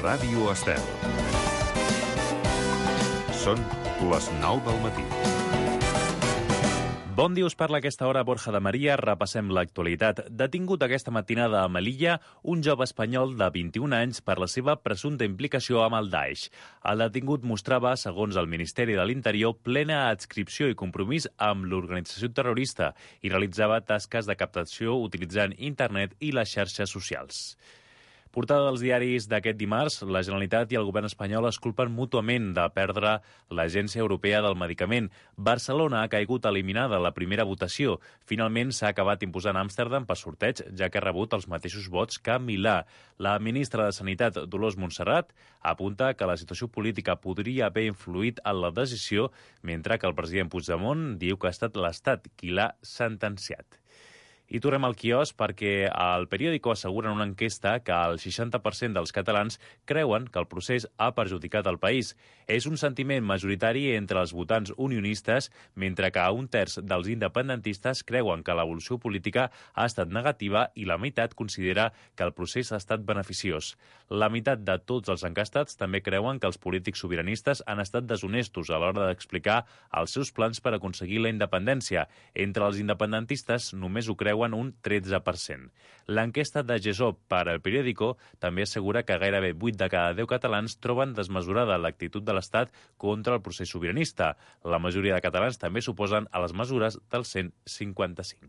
Ràdio Estel. Són les 9 del matí. Bon dia, us parla a aquesta hora Borja de Maria. Repassem l'actualitat. Detingut aquesta matinada a Melilla un jove espanyol de 21 anys per la seva presumpta implicació amb el Daesh. El detingut mostrava, segons el Ministeri de l'Interior, plena adscripció i compromís amb l'organització terrorista i realitzava tasques de captació utilitzant internet i les xarxes socials. Portada dels diaris d'aquest dimarts, la Generalitat i el govern espanyol es culpen mútuament de perdre l'Agència Europea del Medicament. Barcelona ha caigut eliminada a la primera votació. Finalment s'ha acabat imposant Amsterdam per sorteig, ja que ha rebut els mateixos vots que Milà. La ministra de Sanitat, Dolors Montserrat, apunta que la situació política podria haver influït en la decisió, mentre que el president Puigdemont diu que ha estat l'Estat qui l'ha sentenciat. I tornem al quiosc perquè al Periódico asseguren una enquesta que el 60% dels catalans creuen que el procés ha perjudicat el país. És un sentiment majoritari entre els votants unionistes, mentre que un terç dels independentistes creuen que l'evolució política ha estat negativa i la meitat considera que el procés ha estat beneficiós. La meitat de tots els enquestats també creuen que els polítics sobiranistes han estat deshonestos a l'hora d'explicar els seus plans per aconseguir la independència. Entre els independentistes només ho creuen un 13%. L'enquesta de GESOP per al Periódico també assegura que gairebé 8 de cada 10 catalans troben desmesurada l'actitud de l'Estat contra el procés sobiranista. La majoria de catalans també s'oposen a les mesures del 155.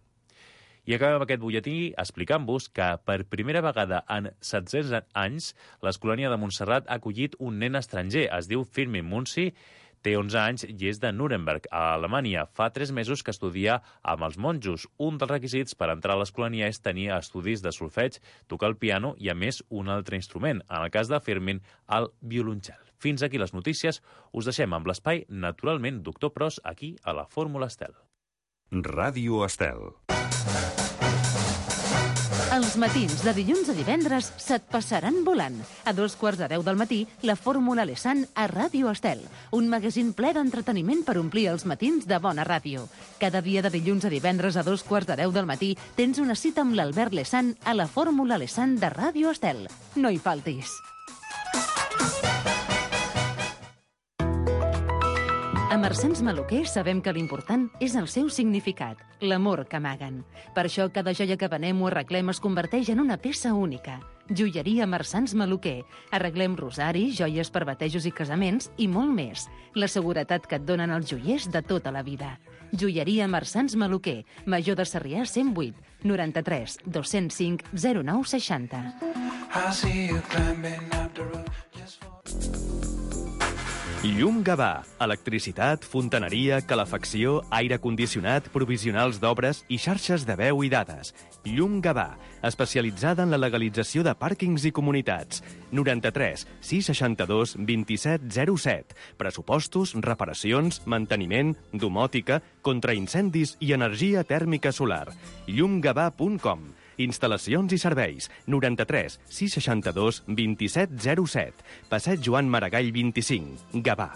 I acabem aquest butlletí explicant-vos que per primera vegada en 700 anys l'Escolania de Montserrat ha acollit un nen estranger. Es diu Firmin Munsi, té 11 anys i és de Nuremberg, a Alemanya. Fa 3 mesos que estudia amb els monjos. Un dels requisits per entrar a l'Escolania és tenir estudis de solfeig, tocar el piano i, a més, un altre instrument. En el cas de Firmin, el violoncel. Fins aquí les notícies. Us deixem amb l'espai, naturalment, Doctor Pros, aquí a la Fórmula Estel. Ràdio Estel. Els matins de dilluns a divendres se't passaran volant. A 9:45 del matí, la Fórmula Lesan a Ràdio Estel, un magazín ple d'entreteniment per omplir els matins de bona ràdio. Cada dia de dilluns a divendres a 9:45 del matí tens una cita amb l'Albert Lesan a la Fórmula Lesan de Ràdio Estel. No hi faltis. A Marsans Maluquer sabem que l'important és el seu significat, l'amor que amaguen. Per això cada joia que venem o arreglem es converteix en una peça única. Joieria Marsans Maluquer. Arreglem rosaris, joies per batejos i casaments i molt més. La seguretat que et donen els joiers de tota la vida. Joieria Marsans Maluquer. Major de Sarrià 108 93 205 0960. Llum Gavà. Electricitat, fontaneria, calefacció, aire condicionat, provisionals d'obres i xarxes de veu i dades. Llum Gavà, especialitzada en la legalització de pàrquings i comunitats. 93 662 2707. Pressupostos, reparacions, manteniment, domòtica, contraincendis i energia tèrmica solar. llumgavà.com. Instal·lacions i serveis. 93 662 2707. Passeig Joan Maragall 25. Gavà.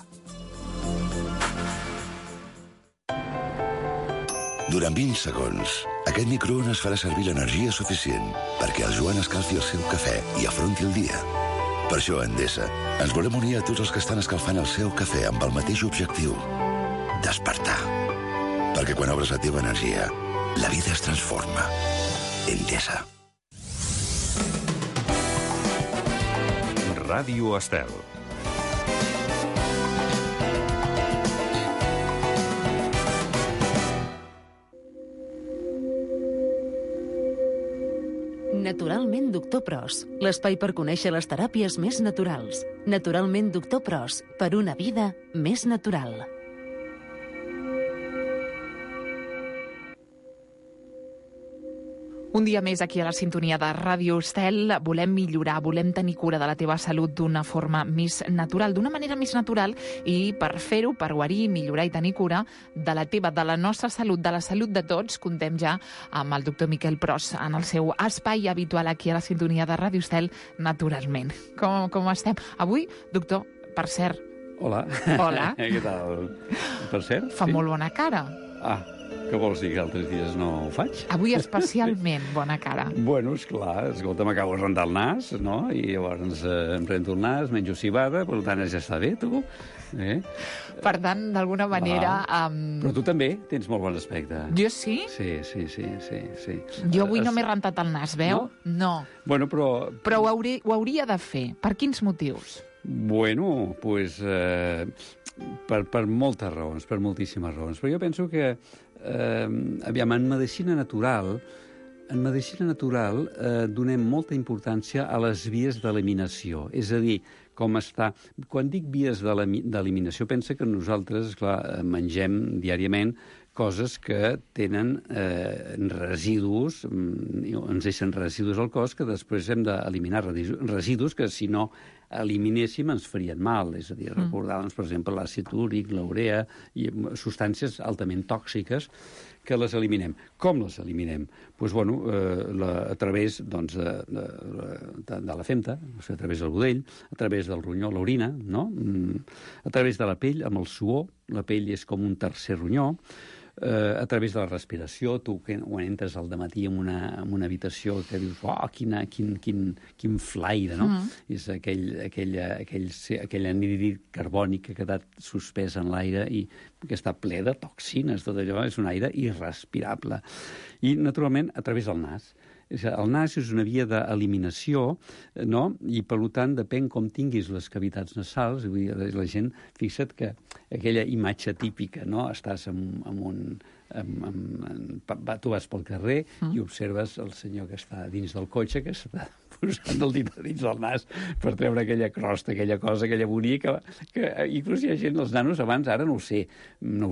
Durant 20 segons, aquest microones farà servir l'energia suficient perquè el Joan escalfi el seu cafè i afronti el dia. Per això, a Endesa, ens volem unir a tots els que estan escalfant el seu cafè amb el mateix objectiu: despertar. Perquè quan obres la teva energia, la vida es transforma. Endesa. Ràdio Estel. Naturalment Doctor Pros, l'espai per conèixer les teràpies més naturals. Naturalment Doctor Pros, per una vida més natural. Un dia més aquí a la sintonia de Ràdio Estel. Volem millorar, volem tenir cura de la teva salut d'una forma més natural, d'una manera més natural, i per fer-ho, per guarir, millorar i tenir cura de la teva, de la nostra salut, de la salut de tots, contem ja amb el doctor Miquel Pros en el seu espai habitual aquí a la sintonia de Ràdio Estel, naturalment. Com estem? Avui, doctor, per cert... Hola. Hola. Què tal? Per cert? Fa molt bona cara. Ah, Què vols dir, que altres dies no ho faig? Avui especialment, bona cara. Bueno, esclar, escolta, m'acabo de rentar el nas, no? I llavors em rento el nas, menjo cibada, per tant ja està bé, tu. Per tant, d'alguna manera... Però tu també tens molt bon aspecte. Jo sí? Sí. Jo avui no m'he rentat el nas, veu? No. Bueno, però... Però ho hauria de fer. Per quins motius? Bueno, doncs... per moltes raons, per moltíssimes raons. Però jo penso que, aviam, en medicina natural donem molta importància a les vies d'eliminació. És a dir, com està... Quan dic vies d'eliminació, pensa que nosaltres, esclar, mengem diàriament coses que tenen residus, ens deixen residus al cos que després hem d'eliminar, residus que si no eliminéssim ens farien mal, és a dir, recordar-nos, per exemple, l'àcid úric, l'urea, i substàncies altament tòxiques que les eliminem. Com les eliminem? Doncs, bueno, a través de la femta, a través del budell, a través del ronyó, l'orina, no? A través de la pell, amb el suor, la pell és com un tercer ronyó, a través de la respiració, tu quan entres al dematí en una habitació que dius, quin flaire, no? És aquell anhídrid carbònic que ha quedat suspès en l'aire i que està ple de toxines, tot allò és un aire irrespirable. I, naturalment, a través del nas. El nas és una via d'eliminació, no? I, per tant, depèn com tinguis les cavitats nasals. Vull dir, la gent, fixa't que aquella imatge típica, no? Estàs tu vas pel carrer i observes el senyor que està dins del cotxe, que està posant el dit dins del nas per treure aquella crosta, aquella cosa, aquella bonica, que inclús hi ha gent, els nanos abans, ara no ho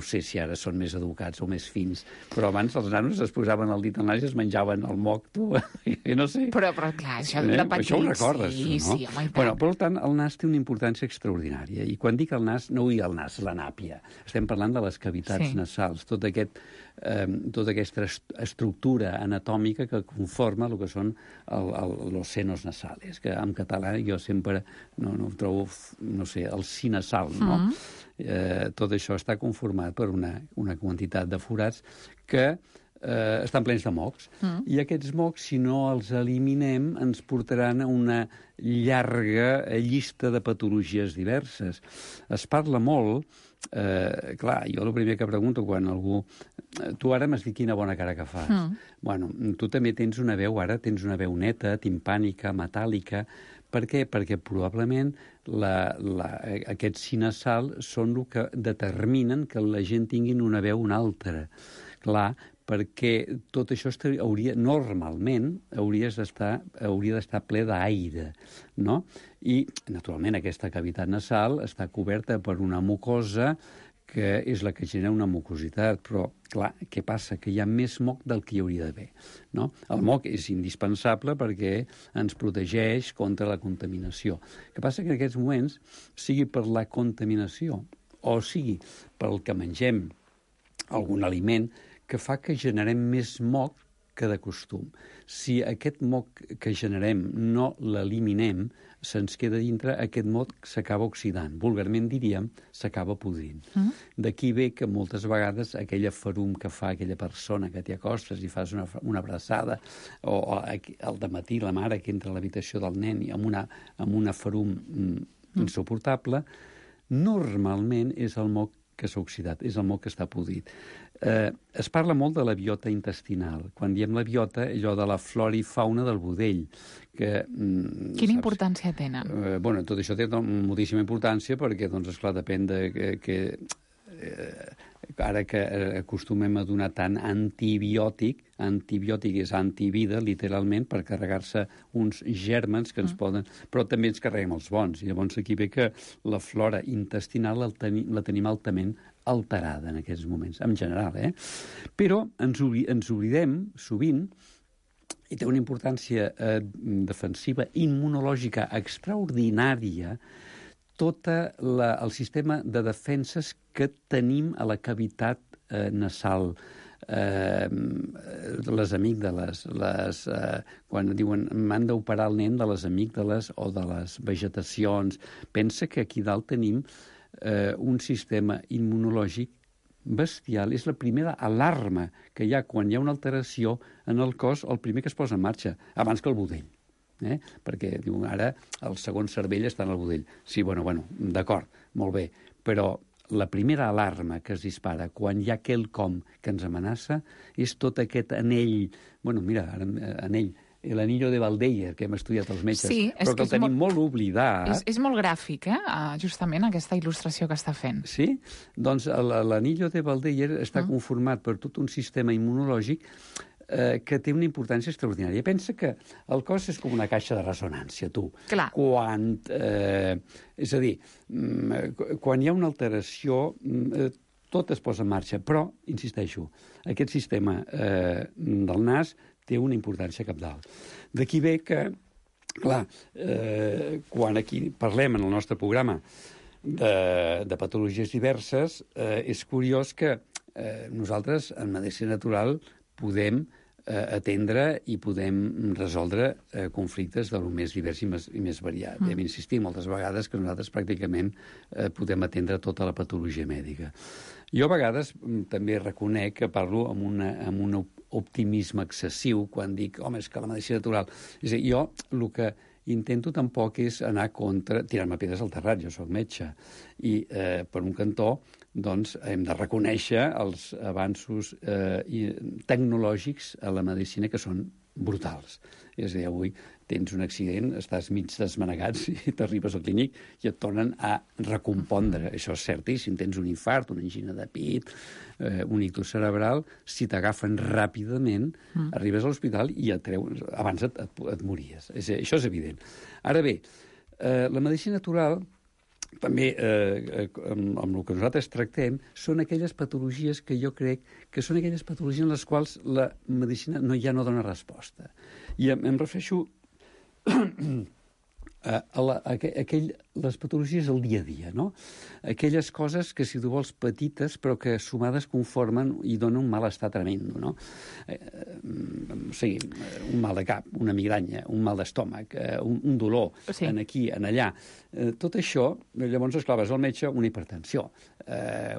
sé si ara són més educats o més fins, però abans els nanos es posaven el dit al nas i es menjaven el moc, tu, jo no sé. Però clar, això de petits... Això ho recordes, sí, no? Sí, home, bueno, per tant, el nas té una importància extraordinària, i quan dic el nas, no vull dir el nas, la nàpia. Estem parlant de les cavitats nasals, tota aquesta estructura anatòmica que conforma el que són los senos nasales, que en català jo sempre no trobo, no sé, el si nasal, no? Tot això està conformat per una quantitat de forats que estan plens de mocs. I aquests mocs, si no els eliminem, ens portaran a una llarga llista de patologies diverses. Es parla molt, clar, jo el primer que pregunto quan algú... Tu ara m'has dit quina bona cara que fas. Bueno, tu també tens una veu neta, timpànica, metàl·lica. Per què? Perquè probablement aquests si nasal són el que determinen que la gent tingui una veu una altra. Clar, perquè tot això normalment hauria d'estar ple d'aire, no? I, naturalment, aquesta cavitat nasal està coberta per una mucosa que és la que genera una mucositat, però, clar, què passa? Que hi ha més moc del que hi hauria d'haver, no? El moc és indispensable perquè ens protegeix contra la contaminació. El que passa que en aquests moments, sigui per la contaminació o sigui pel que mengem algun aliment, que fa que generem més moc que de costum. Si aquest moc que generem no l'eliminem, se'ns queda dintre, aquest moc s'acaba oxidant. Vulgarment diríem, s'acaba podrint. D'aquí ve que moltes vegades aquella ferum que fa aquella persona que t'hi acostes i fas una abraçada, o al dematí la mare que entra a l'habitació del nen amb una ferum insuportable, normalment és el moc que s'ha oxidat, és el moc que està podrit. Es parla molt de la biota intestinal. Quan diem la biota, allò de la flora i fauna del budell. Quina importància tenen? Bueno, tot això té moltíssima importància perquè, doncs, esclar, depèn de que ara que acostumem a donar tant antibiòtic és antivida, literalment, per carregar-se uns gèrmens que ens poden... Però també ens carreguem els bons. I llavors aquí ve que la flora intestinal la tenim altament alterada en aquests moments, en general, Però ens oblidem, sovint, i té una importància defensiva, immunològica extraordinària, tot el sistema de defenses que tenim a la cavitat nasal, les amígdales, quan diuen m'han d'operar el nen de les amígdales o de les vegetacions. Pensa que aquí dalt tenim un sistema immunològic bestial, és la primera alarma que hi ha quan hi ha una alteració en el cos, el primer que es posa en marxa, abans que el budell. Perquè diu, ara el segon cervell està en el budell. Sí, bueno, d'acord, molt bé, però la primera alarma que es dispara quan hi ha quelcom que ens amenaça és tot aquest anell, anell, l'anillo de Valdeyer, que hem estudiat els metges, sí, però que el tenim molt oblidat. És molt gràfic, justament, aquesta il·lustració que està fent. Sí? Doncs l'anillo de Valdeyer està conformat per tot un sistema immunològic que té una importància extraordinària. Pensa que el cos és com una caixa de ressonància, tu. Clar. És a dir, quan hi ha una alteració, tot es posa en marxa, però, insisteixo, aquest sistema del nas té una importància cabdal. D'aquí ve que, clar, quan aquí parlem en el nostre programa de patologies diverses, és curiós que nosaltres, en medicina natural, podem atendre i podem resoldre conflictes de lo més divers i més variat. Hem insistit moltes vegades que nosaltres pràcticament podem atendre tota la patologia mèdica. Jo a vegades també reconec que parlo amb un optimisme excessiu quan dic, home, és que la medicina natural... És a dir, jo el que intento tampoc és anar contra... tirar-me pedres al terrat, jo soc metge. I per un cantó, doncs, hem de reconèixer els avanços tecnològics a la medicina que són brutals. És a dir, avui tens un accident, estàs mig desmanegat i t'arribes al clínic i et tornen a recompondre. Això és certíssim. Tens un infart, una angina de pit, un ictus cerebral, si t'agafen ràpidament, arribes a l'hospital i et treuen... Abans et mories. Això és evident. Ara bé, la medicina natural també, amb el que nosaltres tractem, són aquelles patologies que jo crec que són aquelles patologies en les quals la medicina ja no dona resposta. I em refereixo les patologies del dia a dia, no? Aquelles coses que, si tu vols, petites, però que sumades conformen i donen un malestar tremendo, no? Un mal de cap, una migranya, un mal d'estómac, un dolor, en aquí, en allà. Tot això, llavors, esclar, vas al metge, una hipertensió,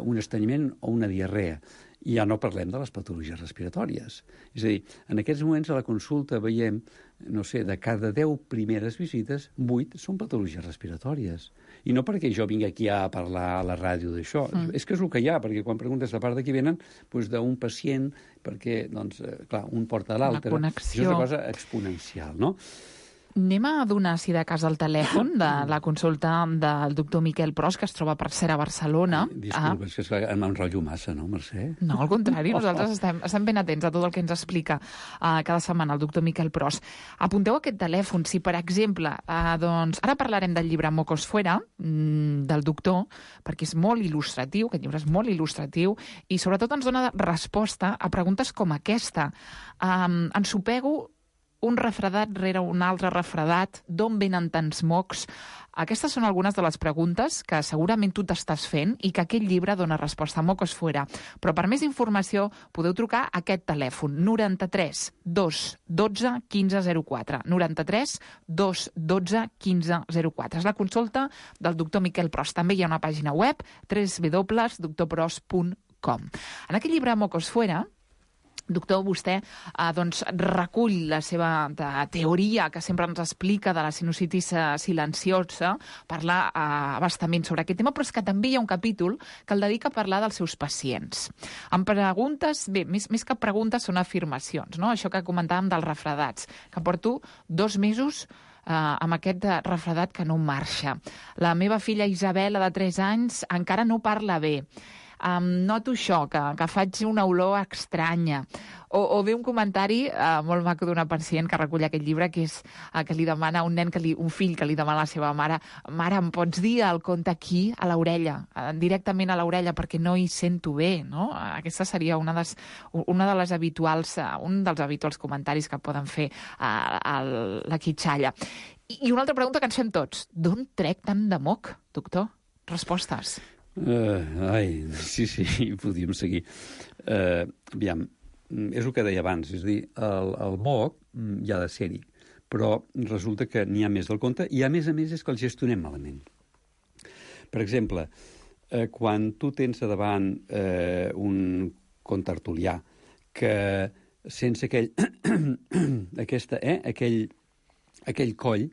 un estrenyiment o una diarrea. I ja no parlem de les patologies respiratòries. És a dir, en aquests moments a la consulta veiem, no sé, de cada 10 primeres visites, 8 són patologies respiratòries. I no perquè jo vingui aquí a parlar a la ràdio d'això, és que és el que hi ha, perquè quan preguntes de part de qui venen, doncs d'un pacient, perquè, doncs, clar, un porta a l'altre. Això és una cosa exponencial, no? Anem a donar, si de cas, el telèfon de la consulta del doctor Miquel Pros, que es troba per ser a Barcelona. Disculpa, és que m'enrotllo massa, no, Mercè? No, al contrari, nosaltres estem ben atents a tot el que ens explica cada setmana el doctor Miquel Pros. Apunteu aquest telèfon, si, per exemple, doncs, ara parlarem del llibre Mocos Fuera, del doctor, perquè és molt il·lustratiu, aquest llibre és molt il·lustratiu, i sobretot ens dona resposta a preguntes com aquesta. Ensopego un refredat rere un altre refredat, d'on venen tants mocs? Aquestes són algunes de les preguntes que segurament tu t'estàs fent i que aquest llibre dona resposta. Mocos Fuera. Però per més informació podeu trucar a aquest telèfon, 93 212 1504. 93 212 1504. És la consulta del doctor Miquel Pros. També hi ha una pàgina web, www.drpros.com. En aquest llibre Mocos Fuera, doctor, vostè doncs, recull la seva teoria que sempre ens explica de la sinusitis silenciosa, parla bastament sobre aquest tema, però és que també hi ha un capítol que el dedica a parlar dels seus pacients. Amb preguntes, bé, més que preguntes són afirmacions, no? Això que comentàvem dels refredats, que porto 2 mesos amb aquest refredat que no marxa. La meva filla Isabela, de 3 anys, encara no parla bé. Noto això, que faig una olor estranya. O ve un comentari molt maco d'una pacient que recull aquest llibre, que és que li demana un fill que li demana a la seva mare: mare, em pots dir el conte aquí, a l'orella, directament a l'orella, perquè no hi sento bé, no? Aquesta seria un dels habituals comentaris que poden fer la quitxalla. I una altra pregunta que ens fem tots: d'on trec tant de moc, doctor? Respostes. Sí, podríem seguir. Aviam, és el que deia abans, és a dir, el moc ja ha de ser-hi, però resulta que n'hi ha més del compte i, a més és que el gestionem malament. Per exemple, quan tu tens a davant un contertulià que sense aquell coll,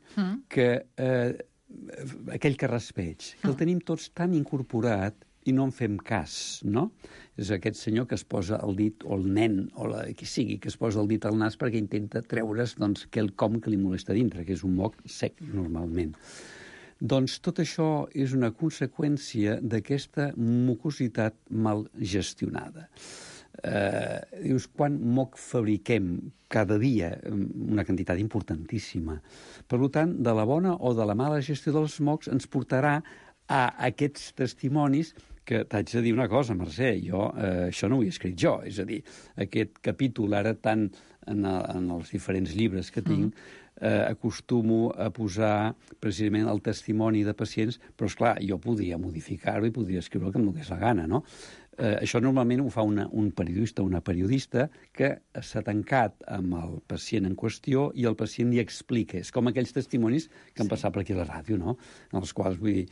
aquell carraspeig, que el tenim tots tan incorporat i no en fem cas, no? És aquest senyor que es posa el dit, o el nen, o qui sigui, que es posa el dit al nas perquè intenta treure's quelcom que li molesta dintre, que és un moc sec, normalment. Doncs tot això és una conseqüència d'aquesta mucositat mal gestionada. Dius, quan moc fabriquem cada dia? Una quantitat importantíssima. Per tant, de la bona o de la mala gestió dels mocs ens portarà a aquests testimonis que t'haig de dir una cosa, Mercè, jo això no ho he escrit jo, és a dir, aquest capítol ara tant en els diferents llibres que tinc, acostumo a posar precisament el testimoni de pacients, però esclar, jo podria modificar-ho i podria escriure el que em donés la gana, no? Això normalment ho fa un periodista o una periodista que s'ha tancat amb el pacient en qüestió i el pacient li explica. És com aquells testimonis que han passat per aquí a la ràdio, no? En els quals, vull dir,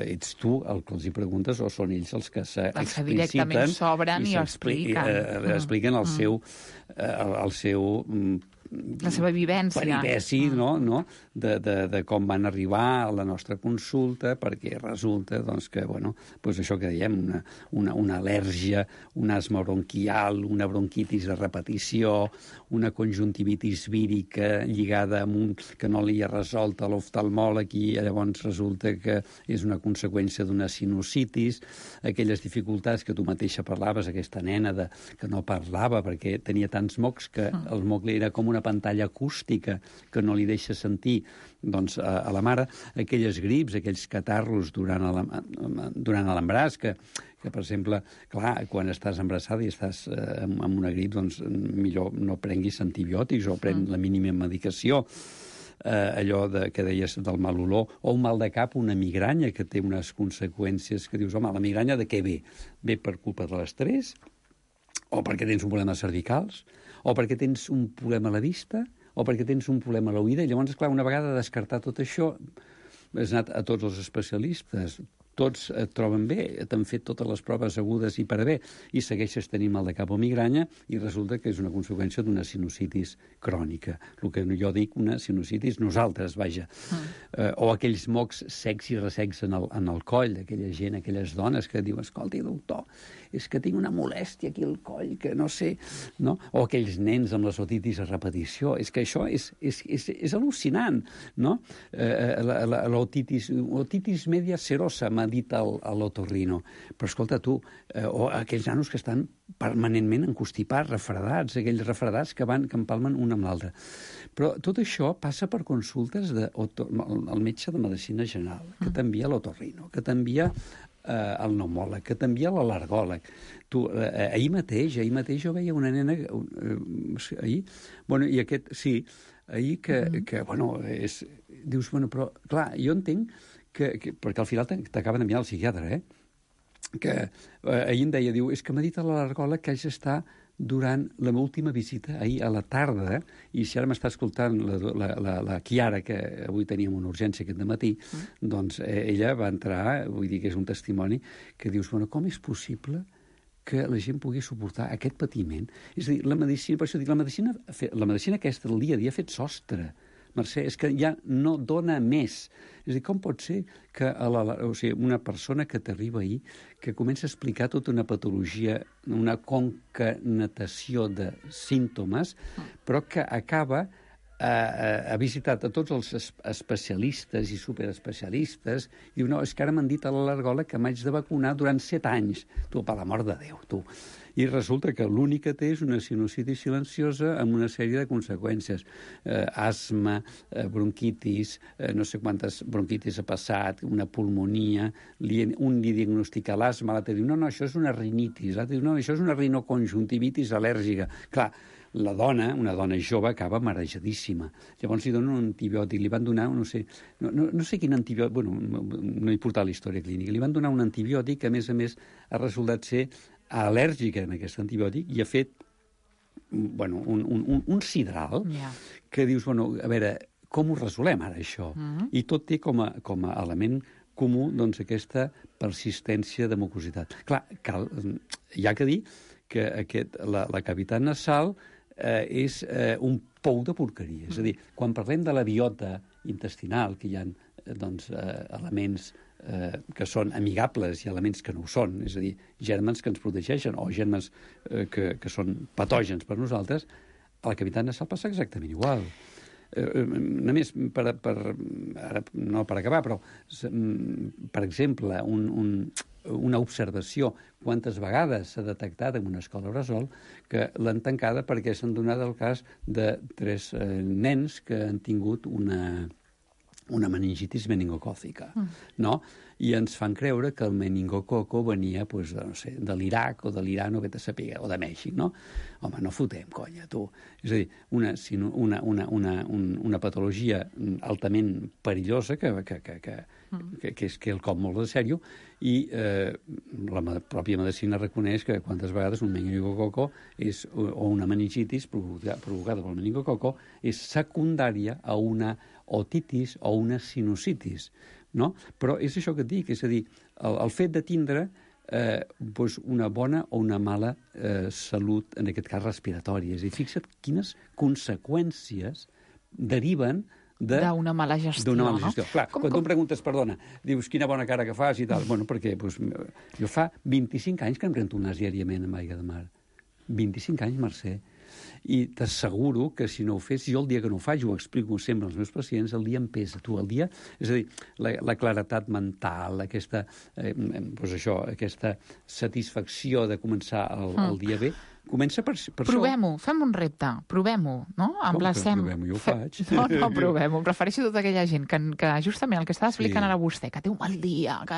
ets tu el que els hi preguntes o són ells els que s'expliciten. Els que directament s'obren i expliquen. Expliquen el seu la seva vivència. Peripeci, no? De com van arribar a la nostra consulta, perquè resulta que, doncs això que dèiem, una al·lèrgia, un asma bronquial, una bronquitis de repetició, una conjuntivitis vírica lligada amb que no li ha resolt a l'oftalmòleg i llavors resulta que és una conseqüència d'una sinusitis, aquelles dificultats que tu mateixa parlaves, aquesta nena que no parlava perquè tenia tants mocs que el moc era com una pantalla acústica que no li deixa sentir a la mare, aquelles grips, aquells catarros durant l'embaràs, que per exemple, clar, quan estàs embarassada i estàs amb una grip, doncs millor no prenguis antibiòtics o pren la mínima medicació. Allò que deies del mal olor, o un mal de cap, una migranya que té unes conseqüències que dius, home, la migranya de què ve? Ve per culpa de l'estrès? O perquè tens un problema cervicals? O perquè tens un problema a la vista? O perquè tens un problema a l'oïda? I llavors, clar, una vegada descartat tot això, has anat a tots els especialistes, tots et troben bé, t'han fet totes les proves agudes i per a bé, i segueixes tenint mal de cap o migranya, i resulta que és una conseqüència d'una sinusitis crònica. El que jo dic, una sinusitis nosaltres, vaja. O aquells mocs secs i ressecs en el coll, aquella gent, aquelles dones que diuen, escolti, doctor, és que tinc una molèstia aquí al coll, que no sé, no? O aquells nens amb les otitis a repetició. És que això és al·lucinant, no? L'otitis media serosa, m'ha dit a l'otorrino. Però escolta tu, o aquells nanos que estan permanentment encostipats, refredats, aquells refredats que empalmen un amb l'altre. Però tot això passa per consultes del metge de medicina general, que t'envia l'otorrino, que t'envia el pneumòleg, que t'envia l'al·lergòleg. Ahir mateix jo veia una nena, ahir, i aquest, sí, ahir que dius, però, clar, jo entenc perquè al final t'acaben d'enviar al psiquiatre, que ahir em deia, diu, és que m'ha dit a l'al·lergòleg que haig d'estar durant la meva última visita, ahir a la tarda, i si ara m'està escoltant la Chiara, que avui teníem una urgència aquest dematí, doncs ella va entrar, vull dir que és un testimoni, que dius, com és possible que la gent pugui suportar aquest patiment? És a dir, la medicina, per això dic, la medicina aquesta del dia a dia ha fet sostre, Mercè, és que ja no dona més. És a dir, com pot ser que una persona que t'arriba ahir, que comença a explicar tota una patologia, una concatenació de símptomes, però que acaba ha visitat a tots els especialistes i superespecialistes i diu, no, és que ara m'han dit a l'al·lergòleg que m'haig de vacunar durant 7 anys. Tu, per l'amor de Déu, tu. I resulta que l'únic que té és una sinusitis silenciosa amb una sèrie de conseqüències. Asma, bronquitis, no sé quantes bronquitis ha passat, una pulmonia, un li diagnostica l'asma, l'altre diu, no, això és una rinitis, l'altre diu, no, això és una rinoconjuntivitis al·lèrgica. Clar, la dona, una dona jove, acaba marejadíssima. Llavors li donen un antibiòtic, li van donar, no sé quin antibiòtic, no he portat la història clínica, li van donar un antibiòtic que, a més, ha resultat ser al·lèrgica en aquest antibiòtic i ha fet un sidral que dius, a veure, com ho resolem ara, això? I tot té com a element comú doncs, aquesta persistència de mucositat. Clar, hi ha que dir que la cavitat nasal és un pou de porqueria. És a dir, quan parlem de la biota intestinal, que hi ha doncs, elements que són amigables i elements que no ho són, és a dir, gèrmens que ens protegeixen o gèrmens que són patògens per nosaltres, a la cavitat nasal passa exactament igual. Només no per acabar, però per exemple, una observació, quantes vegades s'ha detectat en una escola bressol que l'han tancada perquè s'han donat el cas de 3 nens que han tingut una meningitis meningocòcica, no? I ens fan creure que el meningococo venia, doncs, no sé, de l'Iraq o de l'Iran o vete a saber, o de Mèxic, no? Home, no fotem, conya, tu. És a dir, una patologia altament perillosa que és quelcom molt de sèrio, i la pròpia medicina reconeix que quantes vegades un meningococo o una meningitis provocada pel meningococo és secundària a una otitis o una sinusitis, no? Però és això que et dic, és a dir, el fet de tindre doncs una bona o una mala salut, en aquest cas respiratòria. És a dir, fixa't quines conseqüències deriven d'una mala gestió. D'una mala gestió. No? Clar, quan tu em preguntes, perdona, dius quina bona cara que fas i tal, bueno, perquè jo fa 25 anys que em rento un nas diàriament amb aigua de mar. 25 anys, Mercè. I t'asseguro que si no ho fes, jo el dia que no ho faig, ho explico sempre als meus pacients, el dia em pesa. Tu, el dia, és a dir, la claretat mental, aquesta satisfacció de començar el dia bé, comença per provem-ho, fem un repte, provem-ho, no? Emplacem. Provem-ho, jo ho faig. No, provem-ho. Em refereixo a tota aquella gent que justament el que està explicant ara vostè, que té un mal dia, que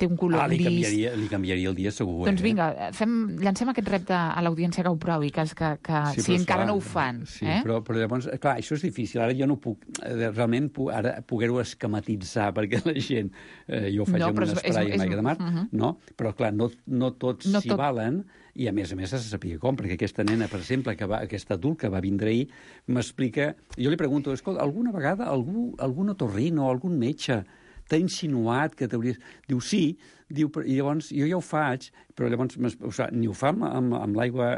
té un color gris... Li canviaria el dia segur. Doncs vinga, llancem aquest repte a l'audiència que ho provi, que si encara no ho fan. Sí, però llavors, clar, això és difícil. Ara jo no puc, realment, poder-ho esquematitzar, perquè la gent, jo ho faig amb un esprai amb aigua de mar, no? Però, clar, no tots s'hi valen, i a més s'ha de saber com, perquè aquesta nena, per exemple, aquest adult que va vindre ahir, m'explica... Jo li pregunto, escolta, alguna vegada algun otorrino o algun metge t'ha insinuat que t'hauries... Diu, sí, i llavors jo ja ho faig, però llavors ni ho fa amb l'aigua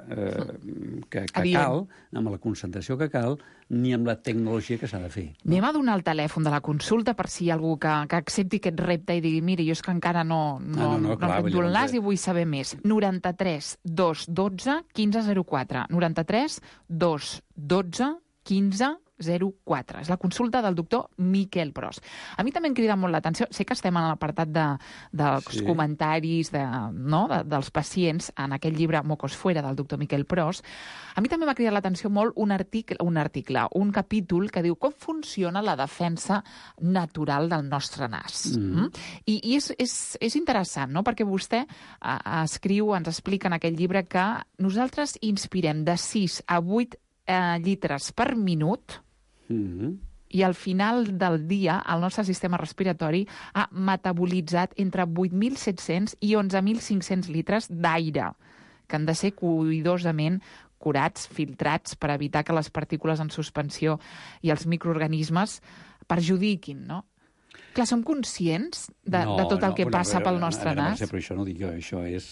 que cal, amb la concentració que cal, ni amb la tecnologia que s'ha de fer. Anem a donar el telèfon de la consulta per si hi ha algú que accepti aquest repte i digui, mira, jo és que encara no rento el nas i vull saber més. 93 212 1504. 93 212 1504. És la consulta del doctor Miquel Pros. A mi també em crida molt l'atenció, sé que estem en l'apartat dels comentaris dels pacients en aquell llibre Mocos Fuera del doctor Miquel Pros. A mi també m'ha cridat l'atenció molt un capítol que diu com funciona la defensa natural del nostre nas. I és interessant, no? Perquè vostè ens explica en aquell llibre que nosaltres inspirem de 6 a 8 litres per minut i al final del dia el nostre sistema respiratori ha metabolitzat entre 8.700 i 11.500 litres d'aire que han de ser cuidadosament curats, filtrats per evitar que les partícules en suspensió i els microorganismes perjudiquin, no? Clar, som conscients de tot el que passa pel nostre nas? Però això no ho dic jo, això és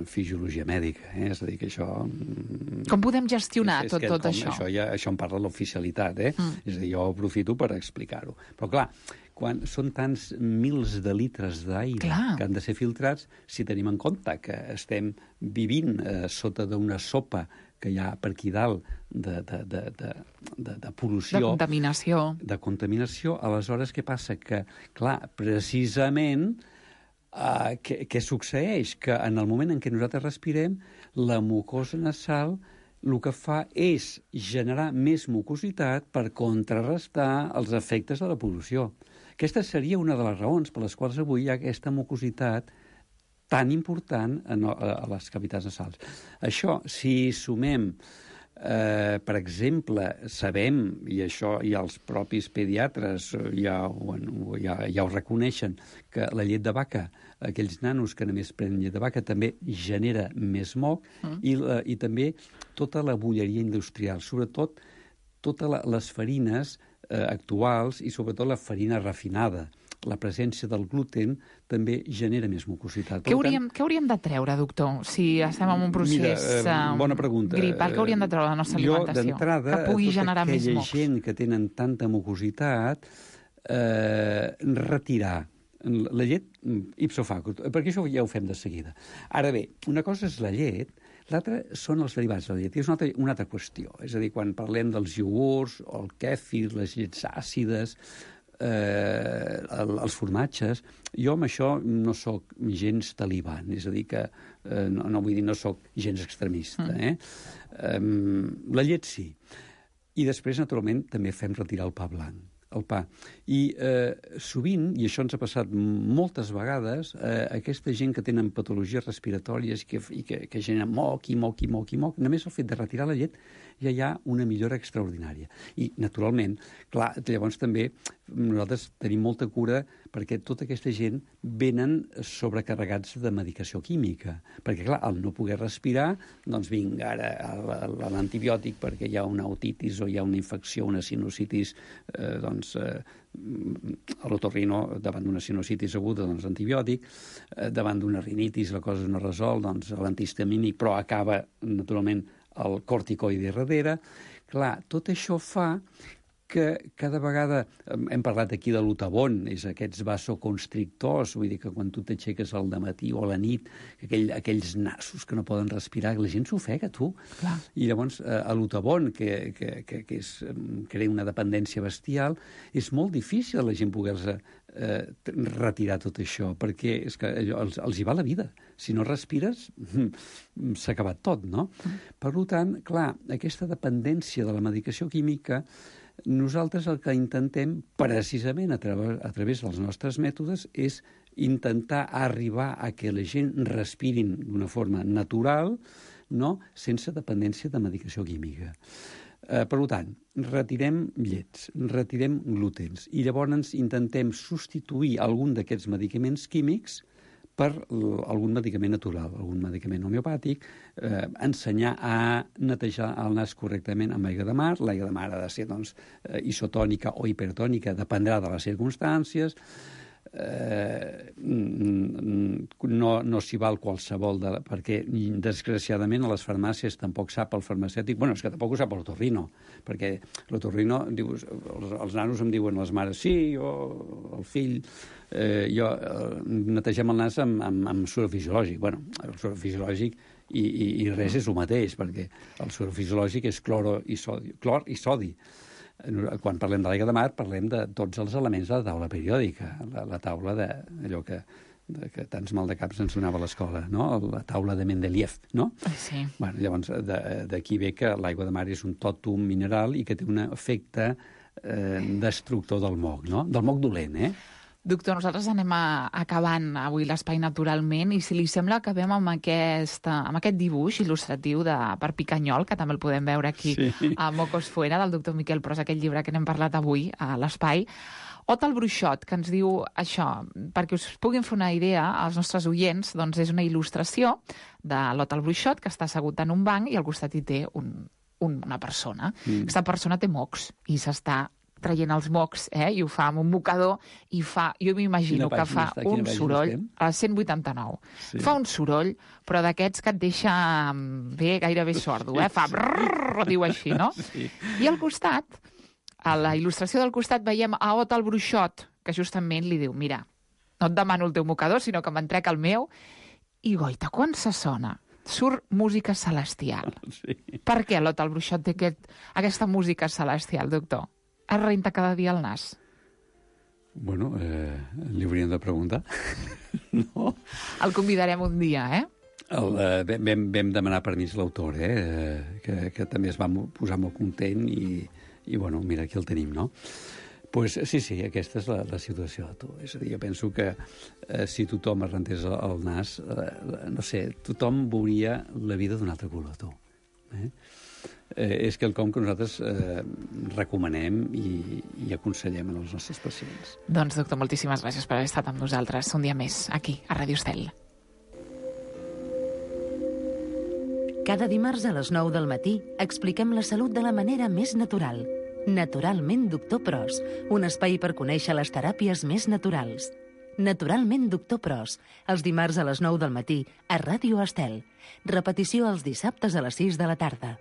fisiologia mèdica, és a dir, que això... Com podem gestionar tot això? Això en parla l'oficialitat, és a dir, jo aprofito per explicar-ho. Però clar, quan són tants mils de litres d'aire que han de ser filtrats, si tenim en compte que estem vivint sota d'una sopa que hi ha per aquí dalt de pol·lució... De contaminació. Aleshores, què passa? Que, clar, precisament, què succeeix? Que en el moment en què nosaltres respirem, la mucosa nasal el que fa és generar més mucositat per contrarrestar els efectes de la pol·lució. Aquesta seria una de les raons per les quals avui hi ha aquesta mucositat tan important a les cavitats nasals. Això, si sumem, per exemple, sabem, i això ja els propis pediatres ja ho reconeixen, que la llet de vaca, aquells nanos que només prenen llet de vaca, també genera més moc, i també tota la bolleria industrial, sobretot totes les farines actuals i sobretot la farina refinada, la presència del gluten també genera més mucositat. Què hauríem de treure, doctor, si estem en un procés bona pregunta. gripal? Què hauríem de treure de la nostra alimentació? Jo, d'entrada, que pugui generar més aquella mocs. gent que tenen tanta mucositat, retirar la llet ipso facto, perquè això ja ho fem de seguida. Ara bé, una cosa és la llet, l'altra són els derivats de la llet, i és una altra qüestió. És a dir, quan parlem dels iogurts, el kèfir, les llets àcides, els formatges, jo amb això no sóc gens talibán, és a dir que no vull dir no sóc gens extremista. La llet sí. I després, naturalment, també fem retirar el pa blanc, el pa. I sovint, i això ens ha passat moltes vegades, aquesta gent que tenen patologies respiratòries i que generen moc, només el fet de retirar la llet ja hi ha una millora extraordinària. I, naturalment, clar, llavors també nosaltres tenim molta cura perquè tota aquesta gent venen sobrecarregats de medicació química. Perquè, clar, al no poder respirar, doncs vinga ara l'antibiòtic perquè hi ha una otitis o hi ha una infecció, una sinusitis, a l'otorrino, davant d'una sinusitis aguda, doncs antibiòtic, davant d'una rinitis la cosa no resol, doncs l'antihistamínic, però acaba, naturalment, el corticoide darrere. Clar, tot això fa que cada vegada, hem parlat aquí de l'Utavon, és aquests vasoconstrictors, vull dir que quan tu t'aixeques al dematí o a la nit, aquells nassos que no poden respirar, la gent s'ofega, tu. Clar. I llavors l'Utavon, que crea una dependència bestial, és molt difícil a la gent poder-se retirar tot això, perquè és que els hi va la vida. Si no respires, s'ha acabat tot, no? Per tant, clar, aquesta dependència de la medicació química, nosaltres el que intentem, precisament a través dels nostres mètodes, és intentar arribar a que la gent respirin d'una forma natural, no? Sense dependència de medicació química. Per tant, retirem llets, retirem glútens i llavors intentem substituir algun d'aquests medicaments químics per algun medicament natural, algun medicament homeopàtic, ensenyar a netejar el nas correctament amb aigua de mar. L'aigua de mar ha de ser isotònica o hipertònica, dependrà de les circumstàncies. No s'hi val qualsevol, perquè desgraciadament a les farmàcies tampoc sap el farmacèutic, és que tampoc ho sap l'otorrino, perquè l'otorrino, els nanos em diuen les mares, sí, el fill, netegem el nas amb suero fisiològic. El suero fisiològic i res és el mateix, perquè el suero fisiològic és clor i sodi. Quan parlem de l'aigua de mar, parlem de tots els elements de la taula periòdica, la taula d'allò que tants maldecaps ens donava a l'escola, no? La taula de Mendeleev, no? Sí. Llavors, d'aquí ve que l'aigua de mar és un tòtum mineral i que té un efecte destructor del moc, no? Del moc dolent, Doctor, nosaltres anem acabant avui l'espai naturalment i si li sembla acabem amb aquest dibuix il·lustratiu per Picanyol, que també el podem veure aquí a Mocos Fuera, del doctor Miquel Pros, aquell llibre que n'hem parlat avui a l'espai. Ot el bruixot, que ens diu això, perquè us puguin fer una idea als nostres oients, doncs és una il·lustració de l'Ot el bruixot, que està assegut en un banc i al costat hi té una persona. Aquesta persona té mocs i s'està traient els mocs, i ho fa amb un mocador, i jo m'imagino que fa un soroll, a 189. Sí. Fa un soroll, però d'aquests que et deixa gairebé sordo, fa brrrr, diu així, no? Sí. I al costat, a la il·lustració del costat, veiem a Ot el bruixot, que justament li diu, mira, no et demano el teu mocador, sinó que me'n trec el meu, i goita, quan se sona, surt música celestial. Sí. Per què l'Ot el bruixot té aquesta música celestial, doctor? Es renta cada dia el nas? Li hauríem de preguntar. No? El convidarem un dia, Vam demanar permís a l'autor, que també es va posar molt content i mira, aquí el tenim, no? Sí, aquesta és la situació de tu. És a dir, jo penso que si tothom es rentés el nas, no sé, tothom veuria la vida d'un altre color, tu. És quelcom que nosaltres recomanem i aconsellem als nostres pacients. Doncs, doctor, moltíssimes gràcies per haver estat amb nosaltres un dia més, aquí, a Ràdio Estel. Cada dimarts a les 9 del matí expliquem la salut de la manera més natural. Naturalment Doctor Pros, un espai per conèixer les teràpies més naturals. Naturalment Doctor Pros, els dimarts a les 9 del matí a Ràdio Estel. Repetició els dissabtes a les 6 de la tarda.